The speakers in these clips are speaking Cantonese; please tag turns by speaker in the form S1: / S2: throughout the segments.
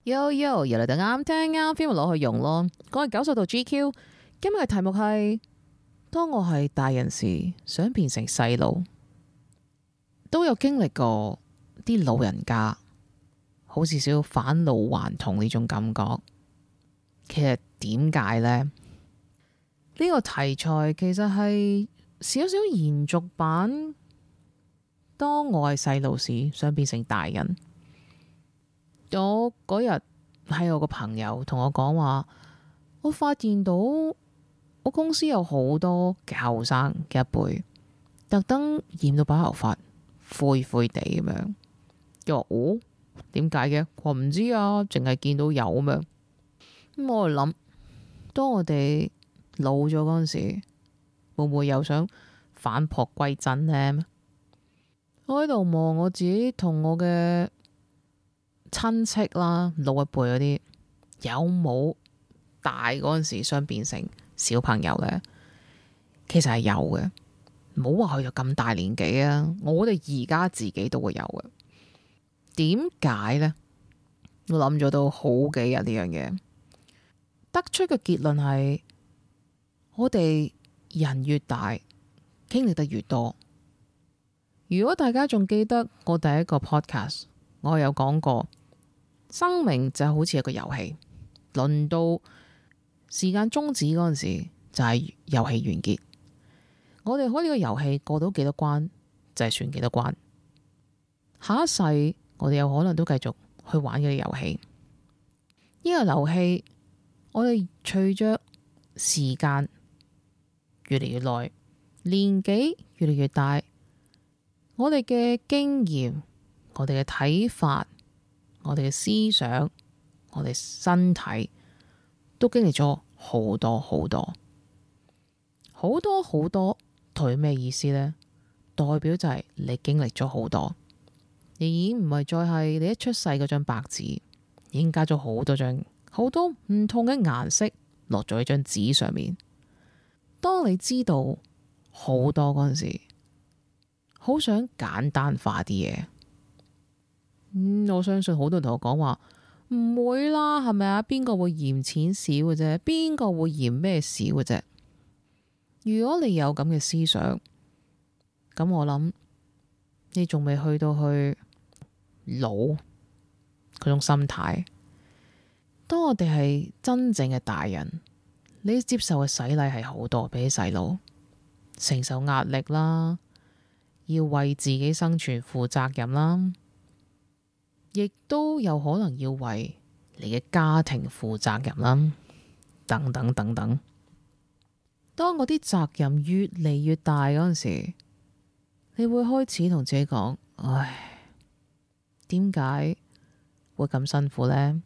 S1: 又嚟到啱聽啱 feel 攞去用咯。我係90度 GQ，今日嘅題目係：當我係大人時，想變成細路。都有經歷過啲老人家好似少返老還童呢種感覺。其實點解呢？呢個題材其實係少少延續版。當我係細路時，想變成大人。我嗰日係我個朋友同我講話，我發現到我公司有好多嘅後生嘅一輩，特登染到白頭髮，灰灰地咁樣。又話哦，點解嘅？我唔知啊，淨係見到有咁樣。咁我諗，當我哋老咗嗰陣時，會唔會又想返璞歸真呢？我喺度望我自己同我嘅親戚啦，老一輩嗰啲有冇大嗰陣時想變成小朋友呢？其實係有嘅，唔好話去到咁大年紀啊！我哋而家自己都會有嘅。點解呢？我諗咗都好幾日呢樣嘢，得出嘅結論係我哋人越大，經歷得越多。如果大家仲記得我第一個 podcast， 我有講過，生命就好似一個遊戲，輪到時間終止嗰陣時，就係遊戲完結。我哋開呢個遊戲過到幾多關，就係算幾多關。下一世我哋有可能都繼續去玩呢個遊戲。呢個遊戲我哋隨着時間越嚟越耐，年紀越嚟越大，我哋嘅經驗、我哋嘅睇法、我哋嘅思想、我哋身體都經歷咗好多好多好多好多。代表咩意思呢？代表就係你經歷咗好多，你已經唔係再係你一出世嗰張白紙，已經加咗好多張好多唔同嘅顏色落咗喺張紙上面。當你知道好多嗰陣時，好想簡單化啲嘢。我相信好多人同我講話唔會啦，係咪啊？邊個會嫌錢少嘅啫？邊個會嫌咩少嘅啫？如果你有咁嘅思想，咁我諗你仲未去到去老嗰種心態。當我哋係真正嘅大人，你接受嘅洗禮係好多，比起細路承受壓力啦，要為自己生存負責任啦，亦都有可能要為你嘅家庭負責任啦，等等等等。當嗰啲責任越嚟越大嗰陣時，你會開始同自己講：唉，點解會咁辛苦呢？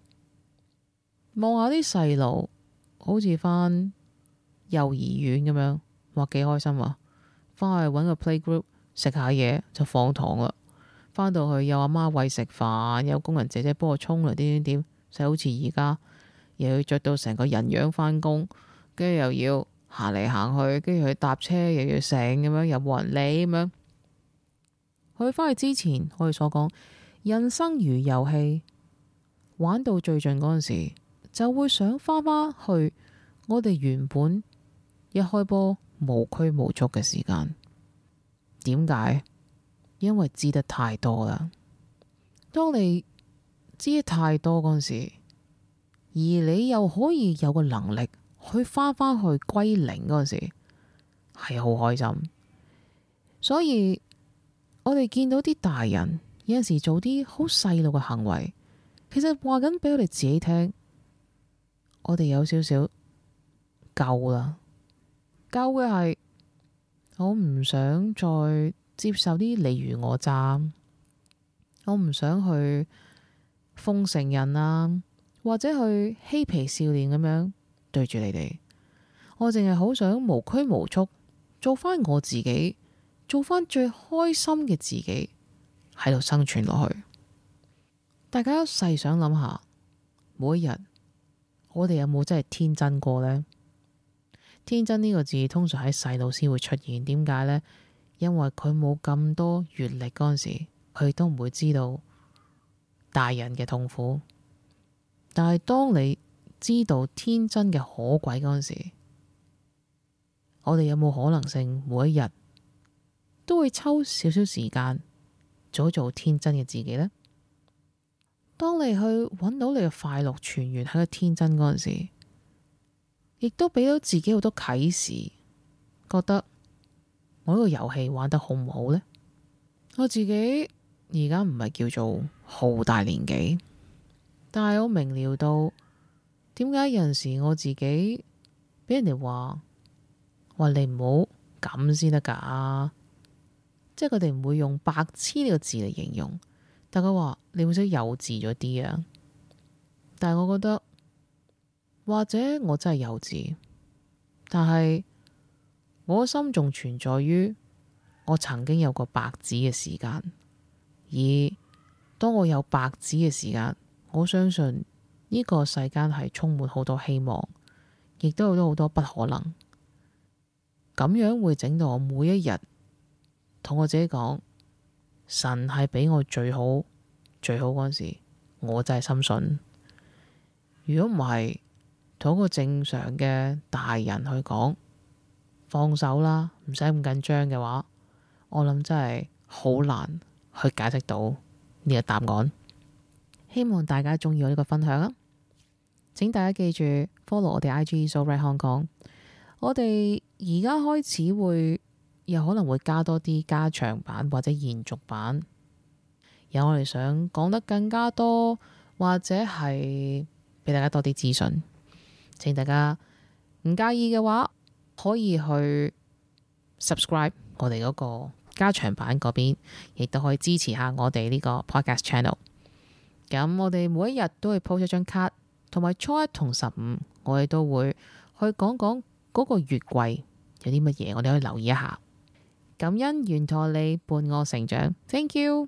S1: 望下啲細路，好似返幼兒園咁樣，話幾開心啊！返去搵個 playgroup 食下嘢就放堂啦。返到去有阿媽餵食飯，有工人姐姐幫我沖涼，點，就好似而家又要着到成個人樣返工，跟住又要行嚟行去，跟住去搭車又要醒咁樣，又冇人理咁樣。去返去之前，我哋所講人生如遊戲，玩到最盡嗰陣時，就會想返返去我哋原本一開波無拘無束嘅時間。點解？因為知得太多啦。當你知得太多嗰陣時，而你又可以有個能力去返返去歸零嗰陣時，係好開心。所以我哋見到啲大人有陣時做啲好細路嘅行為，其實話緊俾我哋自己聽，我哋有少少夠啦。夠嘅係我唔想再接受啲你虞我詐，我唔想去奉承人啊，或者去嬉皮笑臉咁樣對住你哋。我淨係好想無拘無束，做翻我自己，做翻最開心嘅自己，喺度生存落去。大家細想諗下，每一日我哋有冇真係天真過呢？天真呢個字通常喺細路先會出現，點解呢？因為佢冇咁多閱歷嗰陣時，佢都唔會知道大人嘅痛苦。但係當你知道天真嘅可貴嗰陣時，我哋有冇可能性每一日都會抽少少時間做天真嘅自己呢？當你去揾到你嘅快樂泉源喺個天真嗰陣時，亦都俾到自己好多啟示，覺得我呢個遊戲玩得好唔好呢？我自己而家唔係叫做好大年紀，但係我明瞭到點解有陣時我自己俾人哋話你唔好咁先得㗎，即係佢哋唔會用白痴呢個字嚟形容，但佢話你會識幼稚咗啲啊。但係我覺得或者我真係幼稚，但係我心仲存在於我曾經有個白紙嘅時間，而當我有白紙嘅時間，我相信呢個世間係充滿好多希望，亦都有好多不可能。咁樣會整到我每一日同我自己講，神係俾我最好嗰陣時，我真係深信。如果唔係同一個正常嘅大人去講放手啦，唔使咁緊張嘅話，我諗真係好難去解釋到呢個答案。希望大家中意我呢個分享啊！請大家記住 follow 我哋 IG So Right Hong Kong。我哋而家開始會有可能會加多啲加長版或者延續版，有我哋想講得更加多，或者係俾大家多啲資訊。請大家唔介意嘅話，可以去 subscribe 我哋嗰個加長版嗰邊，亦都可以支持下我哋呢個 podcast channel。咁我哋每一日都會 post 一張卡，同埋初一同15，我哋都會去講講嗰個月季有啲乜嘢，我哋可以留意一下。感恩沿途你伴我成長，Thank you。